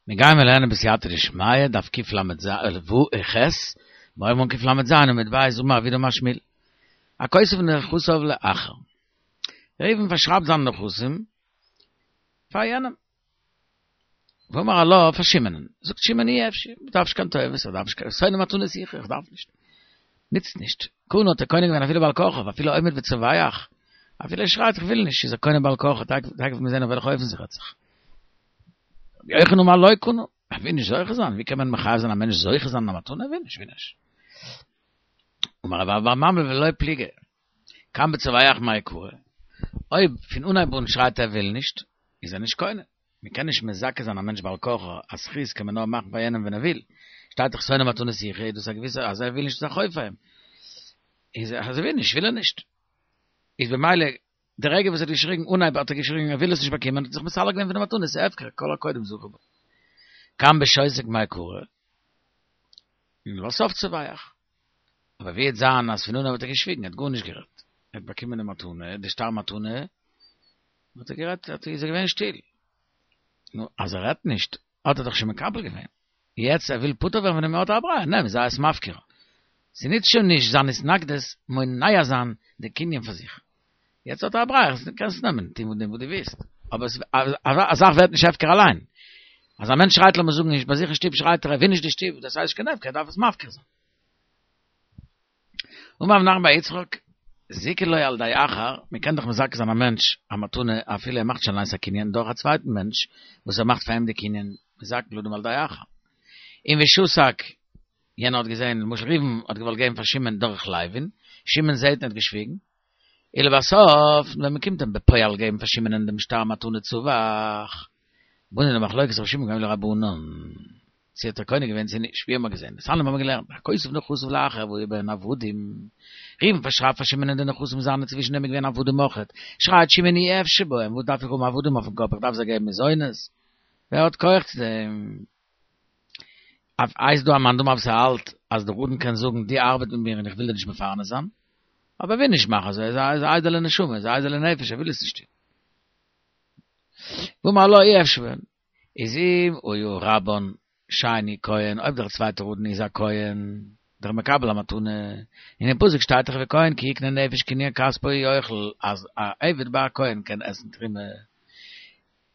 מיר גייען מיר לערנען בסייעתא דשמיא, דף קל"ז, ח, מיר הייבן אן קל"ז עמוד ב' אמר רב יהודה אמר שמואל. הכותב נכסיו לאחר. ראובן פארשרייבט זיינע נכסים פאר יענעם. ואמר עלה פאר שמעונ'ן. זאגט שמעון אי אפשי, מ'דארף נישט קיין טובות, איך דארף נישט קיין שונא מתנות יחיה, איך דארף נישט. נוצט נישט. קנה האט ער קונה געווען אפילו בעל כרחו, אפילו עומד וצווח, אפילו ער שרייט איך וויל נישט, איז ער קונה בעל כרחו, תיכף וועט מען זען אויף וועלכע אופן ס'רעדט זיך. רבי יוחנן אמר לא קנה, ער וויל נישט זוכה זיין, ווי קען מען מחייב זיין א מענטש זוכה זיין אין א מתנה, ער וויל נישט, וויל נישט. אמר רב אבא בר ממל ולא פליגי, כאן בצווח מאי קרא, אויב פון אנהייב אן שרייט ער וויל נישט, איז ער נישט קונה, מען קען נישט מזכה זיין א מענטש בעל כרחו, א זכות קען מען נאר מאכן פאר יענעם ווען ער וויל, שטייט דאך שונא מתנות יחיה, איז דאס א געוויסע אז ער וויל נישט איז א חוב פאר אים, איז אז ער וויל נישט וויל ער נישט, איז במילא די רגע וואס ער האט געשריגן אנהייב האט ער געשריגן ער וויל עס נישט באקומען האט ער זיך מסלק געווען פון די מתנה ס'איז הפקר כל הקודם זכה בה. כאן בשותק מאי קרא ולבסוף צווח. אבער ווי וועט זיין אז פון אנהייב האט ער געשוויגן ער האט גארנישט גערעדט ער האט באקומען די מתנה די שטר מתנה האט ער גערעדט האט איז ער געווען שטיל נו אז ער רעדט נישט האט ער דאך שוין מקבל געווען יעצט ער וויל פטור ווערן פון דעם האט ער א ברירה, נעם, זיי עס מפקיר. ס'נוצט שוין נישט זיין התנגדות מונע זיין די קנין פאר זיך. יעצט האט ער א ברירה, קענסט נעמען, טון מיט דעם וואס דו ווילסט. אבער א זאך ווערט נישט הפקר אליין. אז א מענטש שרייט לאמיר זאגן נישט ביי זיך אין שטוב שרייט ער ער וויל נישט די שטוב, דאס הייסט נישט קיין הפקר, ער דארף עס מפקיר זיין. אמר רב נחמן בר יצחק, זיכה לו על ידי אחר, מען קען דאך מזכה זיין א מענטש א מתנה אפילו ער מאכט שוין אליינס א קנין דורך א צווייטן מענטש וואס ער מאכט פאר אים די קנין, מזכין לאדם על ידי אחר. און ושתק, יענער האט געזען, למשל ראובן האט געוואלט געבן פאר שמעון דורך לוי'ן, שמעון זעט און האט געשוויגן, ולבסוף ווען מען קומט אים בפועל געבן פאר שמעונ'ען דעם שטר מתנה צווח, באנו למחלוקת רבן שמעון בן גמליאל לרבנן, צו האט ער קונה געווען צו נישט, ווי האבן מיר געזען? דתניא האבן מיר געלערנט, הכותב נכסיו לאחר והיו בהן עבדים, ראובן פארשרייבט פאר שמעונ'ען די נכסים זיינע צווישן דעם איז געווען עבדים אויכעט, שרייט שמעון אי אפשי בהם, וואס דארף איך האבן עבדים אויפן קאפ, איך דארף זיי געבן מזונות, ווער האט כח צו דעם? אויף איז דא א מאן דאמר וואס האלט אז דער אדון קען זאגן דו ארבעט מיט מיר און איך וויל דיר נישט מפרנס זיין, אבער ער וויל נישט מאכן אזוי, ער איז א איידעלע נשמה, ער איז א איידעלע נפש, ער וויל עס נישט טון. ואמר לה אי אפשי בהן, איז אם היה רבן שני כהן, אויב דער צווייטער אדון איז א כהן, דער מקבל המתנה, און אין פסוק שטייט דאך וכהן כי יקנה נפש קנין כספו יאכל אז א עבד ביי א כהן קען עסן תרומה,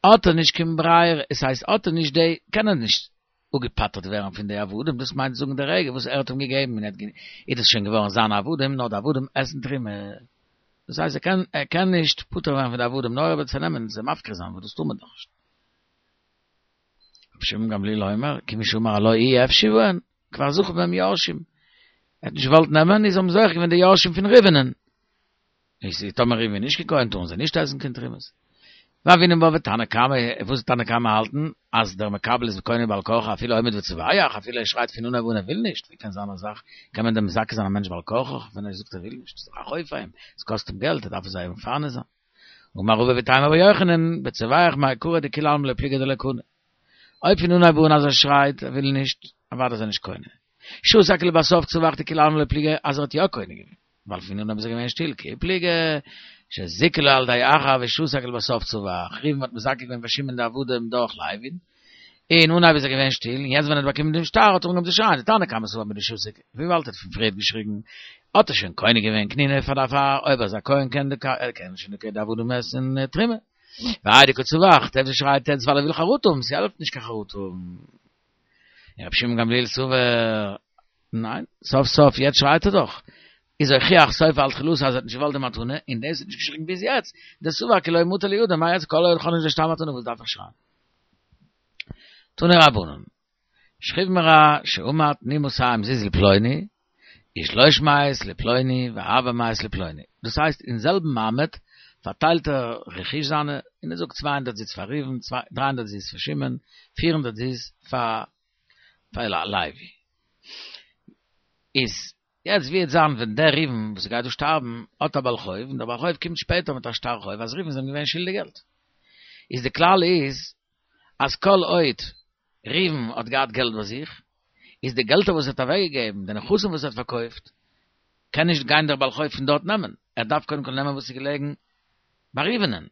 האט ער נישט קיין ברירה, עס הייסט האט ער נישט די, קען ער נישט אפגעפטר'ט ווערן פון די עבדים, דאס מיינט זאגן די רגע וואס ער האט אים געגעבן און ער האט איז דאס שוין געווארן זיינע עבדים, נאר די עבדים עסן תרומה, דאס הייסט ער קען ער קען נישט פטור ווערן פון די עבדים נאר ער וועט זיי נעמען און זיי מפקיר זיין וואס דאס טאר מען דאך נישט. רבי שמעון גמליאל אומר, כיוון שאמר הלה אי אפשי בהן, כבר זכו בהם יורשים. ער האט נישט געוואלט נעמען, איז האבן זוכה געווען די יורשים פון ראובנ'ען. איז טאמער ראובן איז נישט קיין כהן טארן זיי נישט עסן קיין תרומות. והוינן בה ותנא קמא, וואס איז תנא קמא האלטן אז דער מקבל איז קונה בעל כרחו אפילו עומד וצווח, אפילו ער שרייט פון אנהייב אן ער וויל נישט, ווי קען זיין א זאך, קען מען דען מזכה זיין א מענטש בעל כרחו ווען ער זאגט ער וויל נישט, ס'איז דאך א חוב פאר אים, עס קאסט אים געלט, ער דארף זיי מפרנס זיין. אמר רבא ואיתימא רבי יוחנן, בצווח מאי קרא דכולי עלמא לא פליגי דלא קנה. אויב פון אנהייב אן אז ער שרייט ער וויל נישט, אוודאי איז ער נישט קונה. שתק ולבסוף צווח דכולי עלמא לא פליגי אז ער האט יא קונה געווען. ווייל פון אנהייב איז ער געווען שטיל כי פליגי שזיכה לו על ידי אחר ושתק ולבסוף צווח ראובן האט מזכה געווען פאר שמעון די עבדים דורך לוי'ן אין אנהייב איז ער געווען שטיל און יעצט ווען ער האט באקומען דעם שטר האט ער אנגעהויבן צו שרייען דתנא קמא סבר מדשתיק וויבאלד ער האט פון פריערט געשריגן האט ער שוין קונה געווען קנינא פאר דערפאר אויב ער איז א כהן קען די קען שוין די עבדים עסן תרומה והאי דקא צווח דער וואס שרייט יעצט ווייל ער וויל חרטה האבן ס'העלפט נישט קיין חרטה האבן. און רבי שמעון גמליאל סבר, ניין, סוף סוף יעצט שרייט ער דאך, איז הוכיח סופו על תחילתו אז ער האט נישט געוואלט די מתנה, און דאס האט נישט געשריגן ביז יעצט, דסבר כי לא מטא לידיה, מה יעצט כל עוד כ'האב נישט די שטר מתנה וואס דארף איך שרייען? תנו רבנן, שכיב מרע שאמר תנו מאתים זוז לפלוני, ושלוש מאות לפלוני וארבע מאות לפלוני, דאס הייסט אין זעלבן מעמד פארטיילט ער רכוש זיינע און ער זאגט 200 זוז פאר ראובן, 300 זוז פאר שמעון, 400 זוז פאר לוי. איז יעצט ווי וועט זיין ווען דער ראובן וואס גייט דא שטארבן האט א בעל חוב און דער בעל חוב קומט שפעטער מיט א שטר חוב אז ראובן איז אים געווען שולדיג געלט. איז די כלל איז אז כל עוד ראובן האט געהאט געלט ביי זיך, איז די געלטער וואס ער האט אוועקגעגעבן, די נכסים וואס ער האט פארקויפט, קען נישט גיין דער בעל חוב פון דארט נעמען, ער דארף קודם כל נעמען וואס איז געלעגן ביי ראובנ'ען.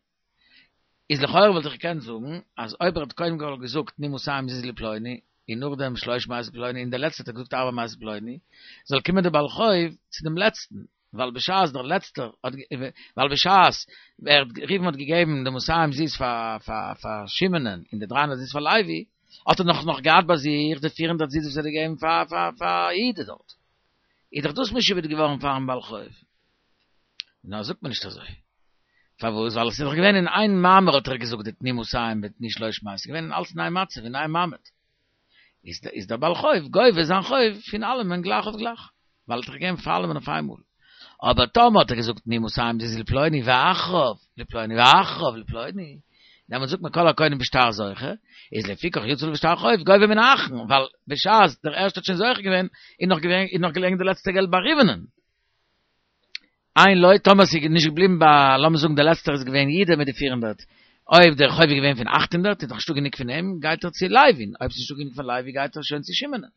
איז לכאורה וואלט איך געקענט זאגן אז אויב ער האט קודם כל געזאגט תנו מאתים זוז לפלוני און נאכדעם שלוש מאות לפלוני און דער לעצטער האט ער געזאגט ארבע מאות לפלוני זאל קומען דער בעל חוב צו דעם לעצטן ווייל בשעת דער לעצטער האט ווייל בשעת ער ראובן האט געגעבן די מאתים זוז פאר פאר פאר שמעונ'ען און די דריי הונדערט זוז פאר לוי האט ער נאך נאך געהאט ביי זיך די פיר הונדערט זוז וואס ער האט געגעבן פאר פאר פאר יהודה דארט איז דאך דאס משועבד געווארן פארן בעל חוב. נאר זאגט מען נישט אזוי. פארוואס? ווייל עס איז דאך געווען אין איין מאמר האט ער געזאגט די תנו מאתים מיט תנו שלוש מאות, עס איז געווען אין אלץ אין איין מצב אין איין מעמד. איז איז דער בעל חוב גובה זיין חוב פון אלעמען גלייך אויף גלייך, ווייל ער האט דאך געגעבן פאר אלעמען אויף איינמאל. אבער טאמער האט ער געזאגט תנו מאתים זוז לפלוני ואחריו לפלוני ואחריו לפלוני, דעמאלט זאגט מען כל הקונה בשטר זוכה, איז לפיכך יצא עליו שטר חוב גובה מן האחרון, ווייל בשעת דער ערשטער האט שוין זוכה געווען, איז נאך געווען איז נאך געלעגן די לעצטע געלט ביי ראובנ'ען. אין לו, טאמער ס'איז נישט געבליבן ביי, לאמיר זאגן דער לעצטער איז געווען יהודה מיט די פיר הונדערט, אויב דער חוב איז געווען פון אכט הונדערט איז דאך נישטא גענוג פון אים, גייט ער צו לוי'ן, אויב ס'איז נישטא גענוג פון לוי גייט ער שוין צו שמעונ'ען.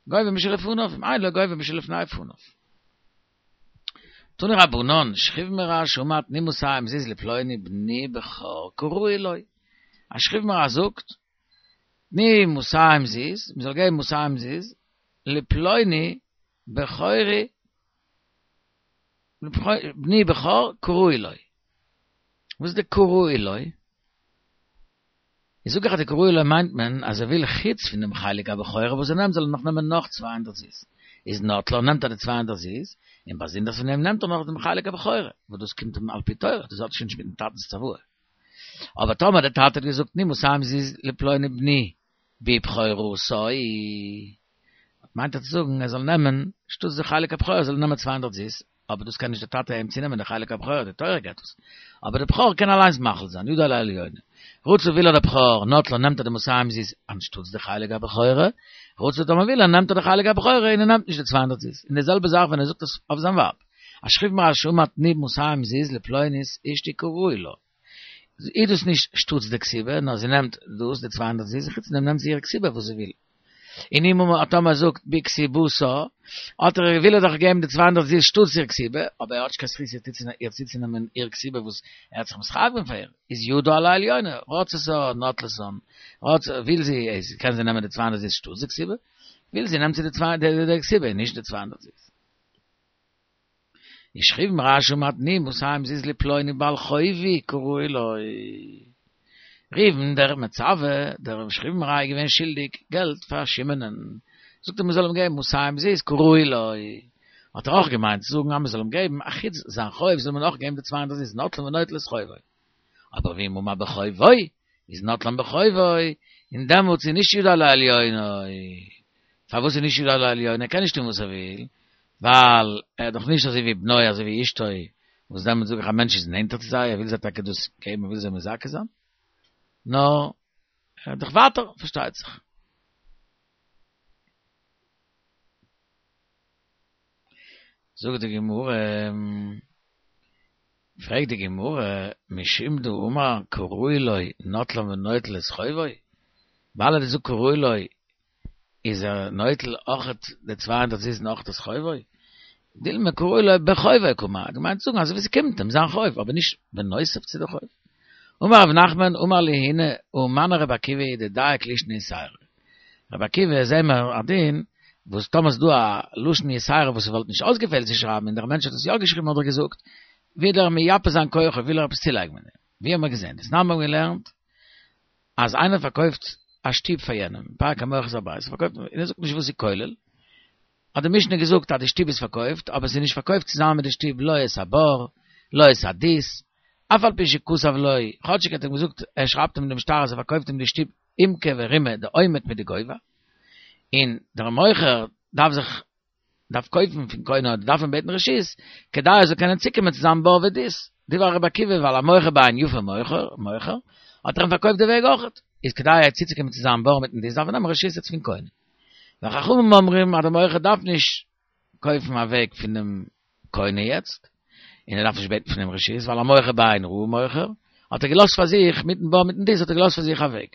גובה משלפניו, אם אין לו גובה משלפני פניו. תנו רבנן, שכיב מרע שאמר תנו מאתים זוז לפלוני בני בכור כראוי לו. א שכיב מרע זאגט, תנו מאתים זוז, מ'זאל געבן מאתים זוז, לפלוני בכורי, בני בכור כראוי לו. וואס איז די כראוי לו? איז זאג איך אז די כראוי לו מיינט מען אז ער וויל חוץ פון דעם חלק הבכורה וואס ער נעמט זאל ער נאך נעמען נאך צוויי הונדערט זוז. איז נוטלן נעמט ער די צוויי הונדערט זוז, און באזונדערס פון דעם נעמט ער נאך דעם חלק הבכורה, וואס דאס קומט אים על פי תורה, דאס האט שוין נישט מיטן טאטנ'ס צוואה. אבער טאמער דער טאטע האט געזאגט תנו מאתים זוז לפלוני בני בבכורתו, מיינט ער צו זאגן ער זאל נעמען, שטאטס די חלק הבכורה זאל ער נעמען צוויי הונדערט זוז, אבער דאס קען נישט דער טאטע אים צונעמען די חלק הבכורה, די תורה געבט עס, אבער דער בכור קען אליינס מחליט זיין, ידו על העליונה. רצה וויל ער דער בכור, נוטלן נעמט ער די מאתים זוז אנשטאטס די חלק הבכורה, רצה טאמער וויל ער נעמט ער די חלק הבכורה און ער נעמט נישט די צוויי הונדערט זוז, און די זעלבע זאך ווען ער זאגט עס אויף זיין ווייב, א שכיב מרע שאמר תנו מאתים זוז לפלונית אשתי כראוי לה. איז דאס נישט שטאטס די כתובה, נאר זי נעמט דאס, די צוויי הונדערט זוז, און חוץ פון דעם נעמט זי איר כתובה וואס זי וויל. און אם אמר טאמער ער זאגט בכתובתה, האט ער וויל ער דאך געבן די צוויי הונדערט זוז שטאטס איר כתובה, אבער ער האט נישט קיין זכות איר צוצונעמען איר כתובה וואס ער האט זיך מתחייב געווען פאר איר, איז ידו על העליונה, רצתה נוטלתן, רצה, וויל זי, איז קען זי נעמען די צוויי הונדערט זוז שטאטס די כתובה, וויל זי נעמט זי די צוויי די כתובה און נישט די צוויי הונדערט זוז. ושכיב מרע שאמר תנו מאתים זוז לפלוני בעל חובי כראוי לו. ראובן דער מצווה, דער שכיב מרע איז געווען שולדיג געלט פאר שמעונ'ען, זאגט ער מען זאל אים געבן מאתים זוז כראוי לו, האט ער אויך געמיינט צו זאגן אז מען זאל אים געבן א חוץ זיין חוב זאל מען אויך געבן די צוויי הונדערט זוז נוטלן ונוטל את חובו. אבער ואם אמר בחובו איז נוטלן בחובו, און דעמאלטס איז נישט ידו על העליונה. פארוואס איז נישט ידו על העליונה? ער קען נישט טון וואס ער וויל, ווייל ער איז דאך נישט אזוי ווי בנו אזוי ווי אשתו, וואס דעמאלטס זאג איך א מענטש איז נענטער צו זיי, ער וויל זיי טאקע דאס געבן, ער וויל זיי מזכה זיין, נאר ער איז דאך ווייטער, פארשטייט זיך. זאגט די גמרא, פרעגט די גמרא, משום דאמר כראוי לו נוטלן ונוטל את חובו, ווייל ער האט געזאגט כראוי לו איז ער נוטל אויכעט די צוויי הונדערט זוז און אויכעט את חובו, דילמא כראוי לו בחובו קאמר, ער האט געמיינט צו זאגן אזוי ווי ס'קומט אים זיין חוב, אבער נישט בנוסף צו די חוב. אמר רב נחמן אמר לי הונא הא מני רבי עקיבא היא דדייק לישנא יתירא. רבי עקיבא זעהן מיר א דין וואס טאמער ס'איז דא א לשון יתירא וואס ס'וואלט נישט אויסגעפעלט צו שרייבן און דער מענטש האט עס יא געשריבן אדער געזאגט, וויל ער מייפה זיין כוחו וויל ער עפעס צולייגן מיט דעם. ווי האבן מיר געזעהן? דתנן מיר האבן געלערנט אז איינער פארקויפט א שטוב פאר יענעם, פרק המוכר את הבית, פארקויפט און ער זאגט נישט וואס איז כולל, האט די משנה געזאגט אז די שטוב איז פארקויפט, אבער עס איז נישט פארקויפט צוזאמען מיט די שטוב לא את הבור, לא את הדות, אף על פי שכתב לו, כאטשיג ער האט אים געזאגט, ער שרייבט אים דעם שטר אז ער פארקויפט אים די שטוב עומקא ורומא, די עומק מיט די גובה, און דער מוכר דארף זיך דארף קויפן פון קונה אדער דארף אים בעטן רשות, כדי ער זאל קענען צוקומען צו זיין בור ודות, דברי רבי עקיבא ווייל המוכר בעין יפה מוכר, מוכר, האט ער אים פארקויפט די וועג אויכעט, איז כדי צוצוקומען צו זיין בור מיטן דות דארף ער נעמען רשות יעצט פון קונה. וחכמים אומרים אז דער מוכר דארף נישט קויפן א וועג פונעם קונה יעצט, און ער דארף נישט בעטן פון אים רשות, ווייל המוכר בעין רעה מוכר, האט ער געלאזט פאר זיך, מיטן בור מיטן דות האט ער געלאזט פאר זיך א וועג.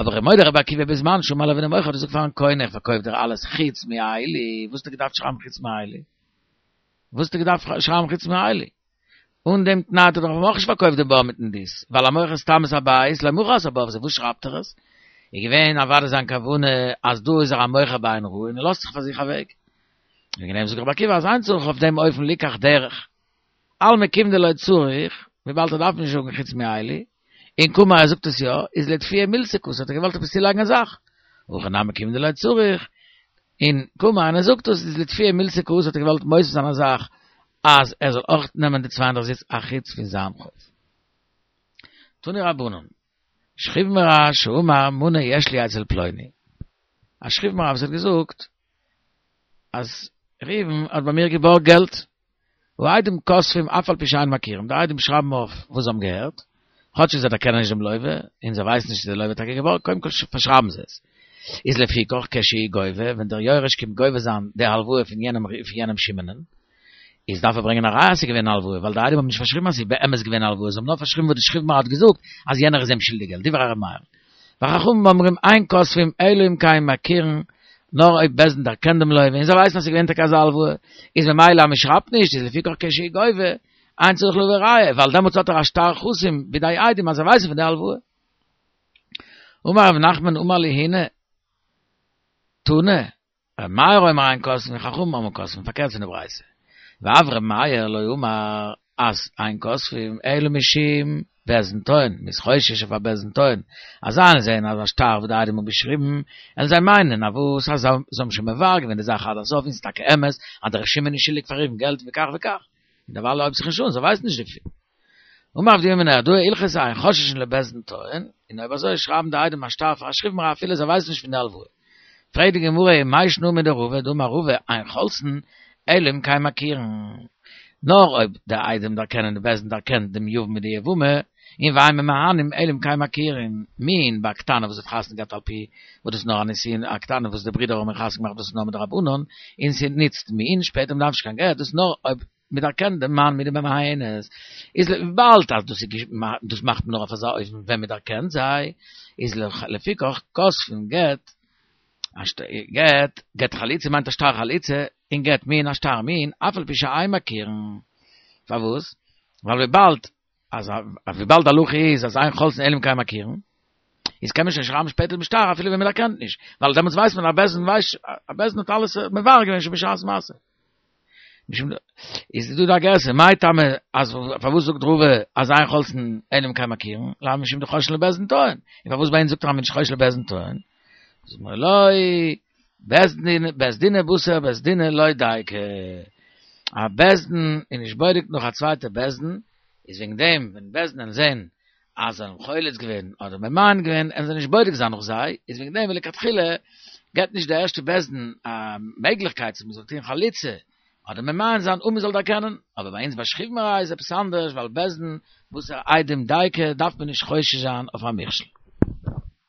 אבער ומודה רבי עקיבא בזמן שאמר לו ווען דער מוכר האט געזאגט פארן קונה איך פארקויף דיר אלעס חוץ מאלו, וואס האט ער געדארפט שרייבן חוץ מאלו? וואס האט ער געדארפט שרייבן חוץ מאלו? אן דעם תנאי האט ער דאך אויך נישט פארקויפט די בור מיטן דות, ווייל המוכר סתם את הבית לא מכר את הבור, וואס שרייבט ער עס? איז געווען אוודאי זיין כוונה אז דא איז ער א מוכר בעין רעה און ער לאזט זיך פאר זיך א וועג. וועגן דעם זאגט רבי עקיבא אז אין צריך אויף דעם אופן ליקח דרך. אלמא כיון דלא צריך, וויבאלד ער דארף נישט זאגן חוץ מאלו, און קאמר ער זאגט עס יא, איז לאטפויי מילתא קאתי האט ער געוואלט עפעס צולייגן א זאך. הכא נמי כיון דלא צריך, און קאמר און ער זאגט עס איז לאטפויי מילתא קאתי האט ער געוואלט מוסיף זיין א זאך אז ער זאל אויך נעמען די 32 זוז א חוץ פון זיין חוב. תנו רבנן, שכיב מרע שאמר מנה יש לי אצל פלוני, א שכיב מרע וואס האט געזאגט אז ראובן האט ביי מיר געבארגט געלט, העדים כותבים אף על פי שאין מכירים, די עדים שרייבן אויף וואס זיי האבן געהערט, כאטש זיי דערקענען נישט דעם לווה, און זיי ווייסן נישט צו דער לווה האט טאקע געבארגט, קודם כל פארשרייבן זיי עס. איז לפיכך כשהוא גובה, ווען דער יורש קומט גובה זיין די הלוואה פון יענעם פון יענעם שמעונ'ען, איז דארף ער ברענגען א ראיה אז ס'איז געווען א הלוואה, ווייל די עדים האבן נישט פארשריבן אז ס'איז באמת געווען א הלוואה, זיי האבן נאר פארשריבן וואס די שכיב מרע האט געזאגט אז יענער איז אים שולדיג געלט, דברי ר' מאיר. וחכמים אומרים אין כותבים אלא אם כן מכירין, נאר אויב בית דין דערקענט דעם לווה און זיי ווייסן אז ס'איז געווען טאקע אזא הלוואה, איז ממילא אז מ'שרייבט נישט איז לפיכך כשהוא גובה, אין צריך להביא ראיה, ווייל דעמאלטס האט ער א שטר חתום בידי עדים אז זיי ווייסן פון די הלוואה. אמר רב נחמן אמר לי הונא, תנא, ר' מאיר אומר אין כותבין וחכמים אומרים כותבין, פארקערט פון די ברייתא. ואף ר' מאיר לא אמר אז אין כותבין אלא משום בית דין טועין, מ'איז חושש אויף א בית דין טועין, אז זיי זעען אז א שטר וואס די עדים האבן געשריבן, וועלן זיי מיינען אז וואס אז זיי האבן שוין מברר געווען די זאך עד הסוף און ס'איז טאקע אמת אז דער שמעון איז שולדיג פאר ראובן געלט וכך וכך, און דערווייל הויבט זיך נישט אן, זיי ווייסן נישט דערפון. אמר רב דימי מנהרדעא הלכתא אין חוששין לבית דין טועין, און אויב אזוי שרייבן די עדים א שטר פאר א שכיב מרע אפילו זיי ווייסן נישט פון די הלוואה. פרעגט די גמרא ומאי שנא מדרבא דאמר רבא אין חולצין אלא אם כן מכירין. נאר אויב די עדים דערקענען די בית דין דערקענט דעם יבם מיט די יבמה, און ואין ממאנין אלא אם כן מכירין, מין ביי א קטנה וואס האט חתונה געהאט על פי וואס דאס איז נאר א נישואין א קטנה וואס די ברידער האבן איר חתונה געמאכט דאס איז נאר מדרבנן, און ס'נוצט מין שפעטער מ'דארף נישט קיין גט דאס איז נאר אויב מ'דערקענט דעם מאן מיט די ממאנת, איז וויבאלד אז דאס איז דאס מאכט מען נאר אויף אזא אופן ווען מ'דערקענט זיי, איז לפיכך כותבין גט, גט, גט חליצה מיינט א שטר חליצה, און גט מין א שטר מין, אף על פי שאין מכירין. פארוואס? ווייל וויבאלד אז וויבאלד די הלכה איז אז אין חולצין אלא אם כן מכירין, איז קען מען שוין שרייבן שפעטער דעם שטר אפילו ווען מען דערקענט נישט, ווייל דעמאלטס ווייסט מען אז בית דין ווייסט, א בית דין האט אלעס מברר געווען שוין בשעת מעשה. משום איז דא דא א גירסא, מאי טעמא אז פארוואס זאגט רבא אז אין חולצין אלא אם כן מכירין, לאו משום דחוששין לבית דין טועין, און פארוואס ביי אונז זאגט ער אז מען איז נישט חושש לבית דין טועין? זאגט מען לא, בית דין, בית דינא בתר בית דינא לא דייקא, א בית דין איז נישט בודק נאך א צווייטע בית דין, איז וועגן דעם ווען בית דין וועלן זען אז זיי האבן חולץ געווען אדער ממאן געווען וועלן זיי נישט בודק זיין נאך זיי, איז וועגן דעם מלכתחילה געבט נישט די ערשטע בית דין א מעגליכקייט צו מ'זאל טון חליצה אדער ממאן זיין אן מ'זאל דערקענען, אבער ביי אונז ביי שכיב מרע איז עפעס אנדערש ווייל בית דין בתר עדים דייקא דארף מען נישט חושש זיין אויף א מכשול.